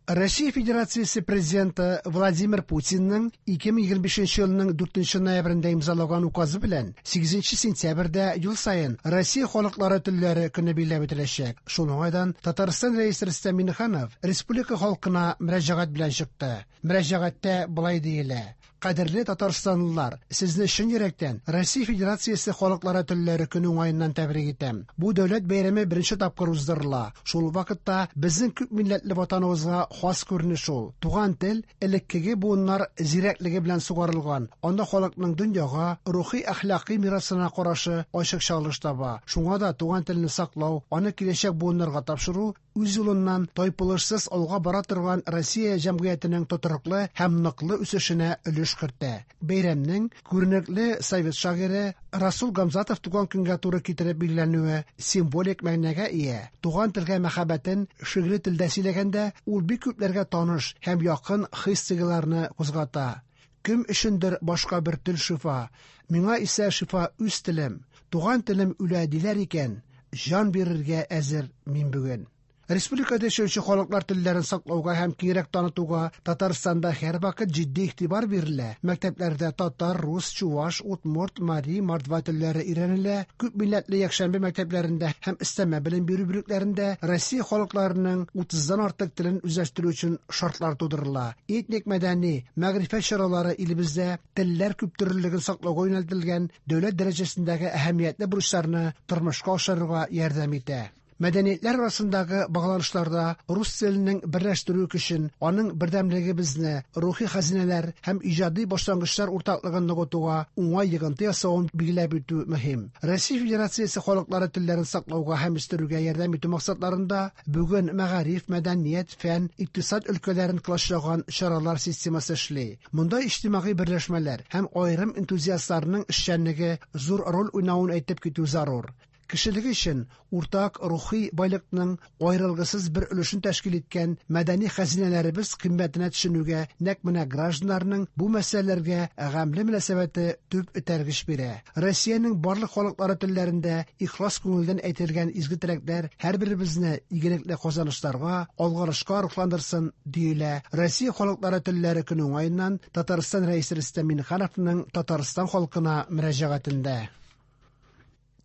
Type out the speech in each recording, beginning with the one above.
Россия Федерациясе Президенты Владимир Путинның 2025 елның 4 ноябрендә имзалаган указы белән 8 сентябрьдә ел саен Россия халыклары телләре көне билгеләп үтеләчәк. Шул уңайдан Татарстан Рәисе Рөстәм Миңнеханов республика халкына мөрәҗәгать белән чыкты. Мөрәҗәгатьтә болай диелә: Кадерле татарстанлылар, сезне чын йөрәктән Россия Федерациясе халыклары телләре көне уңаеннан тәбрик итәм. Бу дәүләт бәйрәме беренче тапкыр уздырыла. Шул вакытта безнең күп милләтле ватаныбызга хас күренеш ул. Туган тел элеккеге буыннар зирәклеге белән сугарылган. Анда халыкның дөньяга, рухи әхлакый мирасына карашы ачык чагылыш таба. Шуңа да туган телне саклау, аны киләчәк буыннарга тапшыру үз юлыннан тайпылышсыз алга бара торган Россия җәмгыятенең тотрыклы һәм ныклы үсешенә өлеш кертә. Бәйрәмнең күренекле совет шагыйре Расул Гамзатов туган көнгә туры китереп билгеләнүе символик мәгънәгә ия. Туган телгә мәхәббәтен шигъри телдә сөйләгәндә, ул бик күпләргә таныш һәм якын хис-тойгыларны кузгата. Кем өчендер башка бер тел шифа, миңа исә шифа үз телем. Туган телем үлә диләр икән, җан бирергә әзер мин бүген. Республикада яшәүче халыклар телләрен саклауга һәм киңрәк танытуга Татарстанда һәрвакыт җитди игътибар бирелә. Мәктәпләрдә татар, рус, чуваш, удмурт, мари, мордва телләре өйрәнелә. Күп милләтле якшәмбе мәктәпләрендә һәм өстәмә белем бирү бүлекләрендә Россия халыкларының 30-дан артык телен үзләштерү өчен шартлар тудырыла. Этник мәдәни, мәгърифәт чаралары илебездә телләр күптөрлелеген саклауга юнәлтелгән дәүләт дәрәҗәсендәге әһәмиятле бурычларны тормышка ашырырга ярдәм итә. Мәдәниятләр арасындагы багланышларда рус теленең берләштерү көчен, аның бердәмлегебезне, рухи хәзинәләр һәм иҗади башлангычлар уртаклыгын ныгытуга уңай йогынты ясавын билгеләп үтү мөһим. Россия Федерациясе халыклары телләрен саклауга һәм үстерүгә ярдәм итү максатларында бүген мәгариф, мәдәният, фән, икътисад өлкәләрен колачлаган чаралар системасы эшли. Монда иҗтимагый берләшмәләр һәм аерым энтузиастларның эшчәнлеге зур роль уйнавын әйтеп китү зарур. Кешелек өчен уртак рухи байлыкның аерылгысыз бер өлешен тәшкил иткән мәдәни хәзинәләребез кыйммәтенә төшенүгә нәкъ менә гражданнарның бу мәсьәләләргә гамьле мөнәсәбәте төп этәргеч бирә. Россиянең барлык халыклары телләрендә ихлас күңелдән әйтелгән изге теләкләр һәрберебезне игелекле казанышларга, алгарышка рухландырсын, диелә Россия халыклары телләре көне уңаеннан Татарстан Рәисе Рөстәм Миңнехановның Татарстан халкына мөрәҗәгатендә.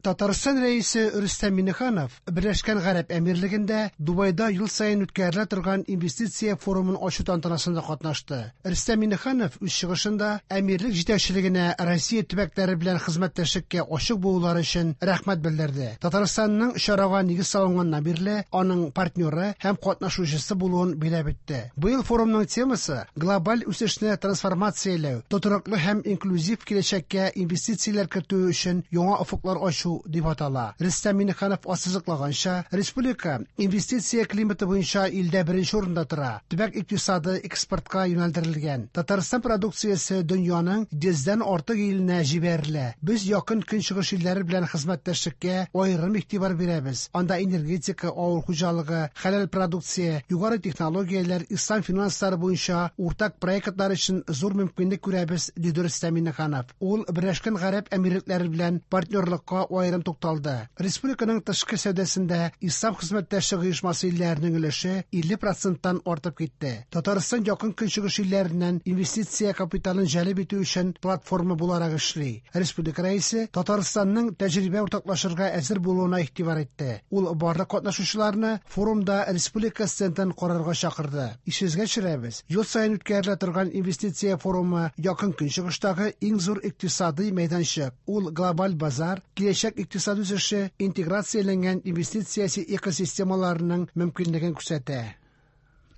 Татарстан Рәисе Рөстәм Миңнеханов Берләшкән Гарәп Әмирлегендә Дубайда ел саен үткәрелә торган инвестиция форумын ачу тантанасында катнашты. Рөстәм Миңнеханов үз чыгышында әмирлек җитәкчелегенә Россия төбәкләре белән хезмәттәшлеккә ачык булулары өчен рәхмәт белдерде. Татарстанның чарага нигез салынганнан бирле аның партнеры һәм катнашучысы булуын билгеләп үтте. Быел форумның темасы глобаль үсешне трансформацияләү, тотрыклы һәм инклюзив киләчәккә инвестицияләр кертү өчен яңа офыклар ачу дип атала. Рөстәм Миңнеханов ассызыклаганча, республика инвестиция климаты буенча илдә беренче урында тора. Төбәк икътисады экспортка юнәлдерелгән. Татарстан продукциясе дөньяның 100дән артык иленә җибәрелә. Без якын көнчыгыш илләре белән хезмәттәшлеккә аерым игътибар бирәбез. Анда энергетика, авыл хуҗалыгы, хәләл продукция, югары технологияләр, ислам финанслары буенча уртак проектлар өчен зур мөмкинлек күрәбез, диде Рөстәм Миңнеханов. Ул Берләшкән Гарәп Әмирлекләре белән партнерлыкка аерым тукталды. Республиканың тышкы сәүдәсендә Ислам хезмәттәшлек оешмасы илләренең өлеше 50%тан артып китте. Татарстан якын көнчыгыш илләреннән инвестиция капиталын җәлеп итү өчен платформа буларак эшли. Республика рәисе Татарстанның тәҗрибә уртаклашырга әзер булуына игътибар итте. Ул барлык катнашучыларны форумда республика стендын карарга чакырды. Исегезгә төшерәбез, ел саен үткәрелә торган инвестиция форумы якын көнчыгыштагы иң зур икътисадый мәйданчык. Ул глобаль базар, киләчәк икътисад үсеше, интеграцияләнгән инвестиция экосистемаларының мөмкинлеген күрсәтә.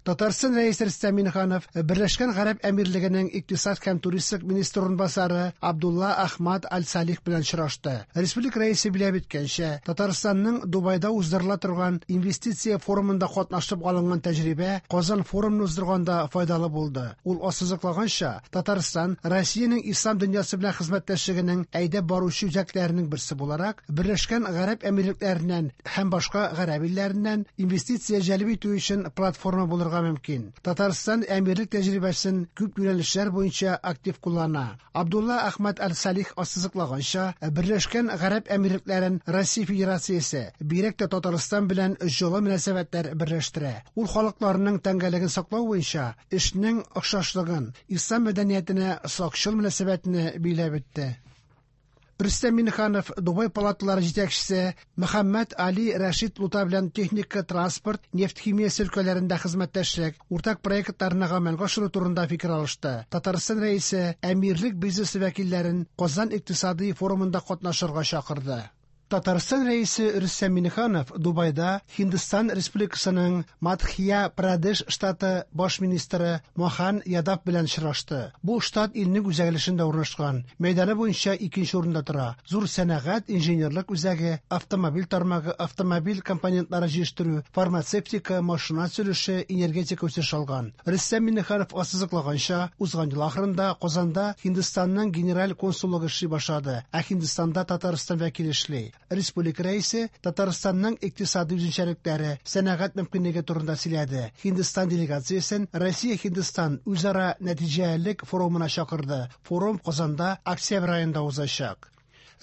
Татарстан Рәисе Рөстәм Миңнеханов Берләшкән Гарәп Әмирлегенең икътисад һәм туристик министры урынбасары Абдулла Ахмад Аль-Салих белән очрашты. Республика рәисе билгеләп үткәнчә, Татарстанның Дубайда уздырыла торган инвестиция форумында катнашып алынган тәҗрибә Казан форумын уздырганда файдалы булды. Ул ассызыклаганча, Татарстан Россиянең ислам дөньясы белән хезмәттәшлегенең әйдәп баручы үзәкләренең берсе буларак, Берләшкән Гарәп Әмирлекләреннән һәм башка гарәп илләреннән инвестиция җәлеп итү өчен платформа булырга булырга мөмкин. Татарстан әмирлек тәҗрибәсен күп юнәлешләр буенча актив куллана. Абдулла Әхмәд Әл-Салих ассызыклаганча, Берләшкән Гарәп Әмирлекләрен Россия Федерациясе, бигрәк тә Татарстан белән җылы мөнәсәбәтләр берләштерә. Ул халыкларның тәңгәллеген саклау буенча эшнең охшашлыгын, ислам мәдәниятенә сакчыл мөнәсәбәтне билгеләп үтте. Рөстәм Миңнеханов Дубай палаталары җитәкчесе Мөхәммәд Али Рәшид Лута белән техника, транспорт, нефть химиясе өлкәләрендә хезмәттәшлек, уртак проектларны гамәлгә ашыру турында фикер алышты. Татарстан Рәисе әмирлек бизнесы вәкилләрен Казан икътисади форумында катнашырга чакырды. Татарстан Рәисе Рөстәм Миңнеханов Дубайда Һиндстан Республикасының Мадхья-Прадеш штаты баш министры Мохан Ядав белән очрашты. Бу штат илнең үзәк өлешендә урнашкан, мәйданы буенча икенче урында тора. Зур сәнәгать, инженерлык үзәге, автомобиль тармагы, автомобиль компонентлары җитештерү, фармацевтика, машина төзелеше, энергетика үсеш алган. Рөстәм Миңнеханов ассызыклаганча, узган ел ахырында Казанда Һиндстанның генераль консуллыгы эшли башлады, ә Һиндстанда Татарстан вәкиле эшли. Республика Рәисе Татарстанның икътисади үзенчәлекләре, сәнәгать мөмкинлеге турында сөйләде. Һиндстан делегациясен Россия-Һиндстан үзара нәтиҗәлелек форумына чакырды. Форум Казанда октябрь аенда узачак.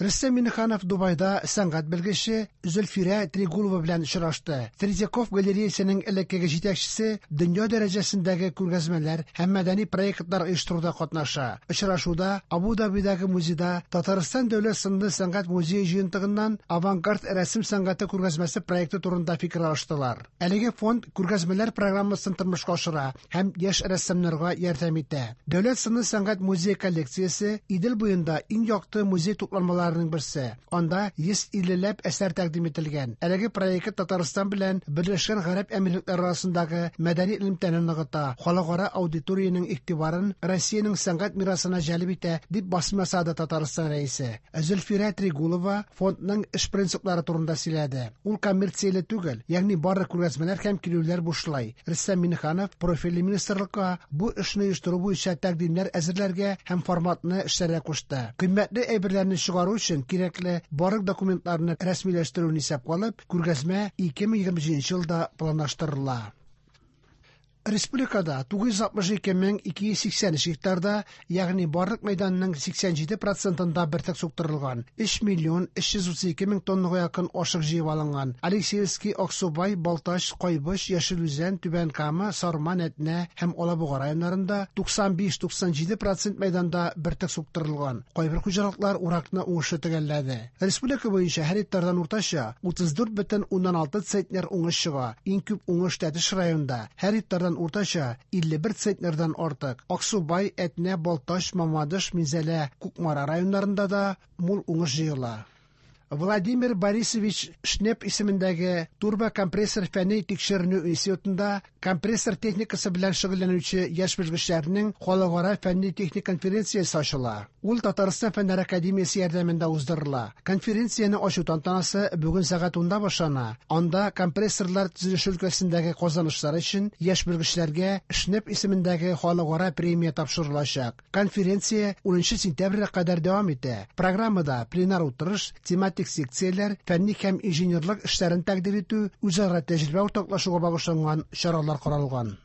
Рөстәм Миңнеханов Дубайда сәнгать белгече Зөлфирә Трегулова белән очрашты. Третьяков галереясының элеккеге җитәкчесе дөнья дәрәҗәсендәге күргәзмәләр һәм мәдәни проектлар оештыруда катнаша. Очрашуда Абу-Дабидагы музейда Татарстан дәүләт сынлы сәнгать музее җыентыгыннан авангард рәсем сәнгате күргәзмәсе проекты турында фикер алыштылар. Әлеге фонд күргәзмәләр программасын тормышка ашыра һәм яшь рәссамнарга ярдәм итә. Дәүләт сынлы сәнгать музее коллекциясе Идел буенда иң якты музей тупланмаларының берсе. Анда 150 ләп әсәр тәкъдим ителгән. Әлеге проект Татарстан белән Берләшкән Гарәп Әмирлекләре арасындагы мәдәни элемтәне ныгыта, халыкара аудиториянең игътибарын Россиянең сәнгать мирасына җәлеп итә, дип басым ясады Татарстан Рәисе. Зөлфирә Трегулова фондның эш принциплары турында сөйләде. Ул коммерцияле түгел, ягъни барлык күргәзмәләр һәм килүләр бушлай. Рөстәм Миңнеханов профильле министрлыкка бу эшне оештыру буенча тәкъдимнәр әзерләргә һәм форматны эшләргә кушты. Кыйммәтле әйберләрне чыгару өчен кирәкле барлык документларны рәсмиләштерүне исәпкә алып, күргәзмә 2027 елда планлаштырыла. Республикада 962 283 гектарда, ягъни барлык мәйданның 87 процентында бөртек суктырылган. 3 миллион 332 мең тоннага якын ашык җыеп алынган. Алексеевский, Аксубай, Балтач, Кайбыч, Яшел Үзән, Түбән Кама, Сарман, Әтнә һәм Алабуга районнарында 95-97 процент мәйданда бөртек суктырылган. Кайбер хуҗалыклар уракны уңышлы төгәлләде. Республика буенча һәр гектардан уртача 34,6 центнер уңыш чыга. Иң күп уңыш Тәтеш районында. Һәр гектардан уртача 51 центнердан артык. Аксубай, Әтнә, Балтач, Мамадыш, Минзәлә, Кукмара районнарында да мул уңыш җыела. Владимир Борисович Шнеп исемендәге турбокомпрессор фәнни тикшеренү институтында компрессор техникасы белән шөгыльләнүче яшь белгечләрнең халыкара фәнни-техник конференциясе ачыла. Ул Татарстан Фәннәр академиясе ярдәмендә уздырыла. Конференцияне ачу тантанасы бүген сәгать 10-да башлана. Анда компрессорлар төзелеше өлкәсендәге казанышлар өчен яшь белгечләргә Шнеп исемендәге халыкара премия тапшырылачак. Конференция 10 сентябрьгә кадәр дәвам итә. Программада пленар утырыш, тематик секцияләр, фәнни һәм инженерлык эшләрен тәкъдир итү, үзара тәҗрибә уртаклашуга багышланган чаралар каралган.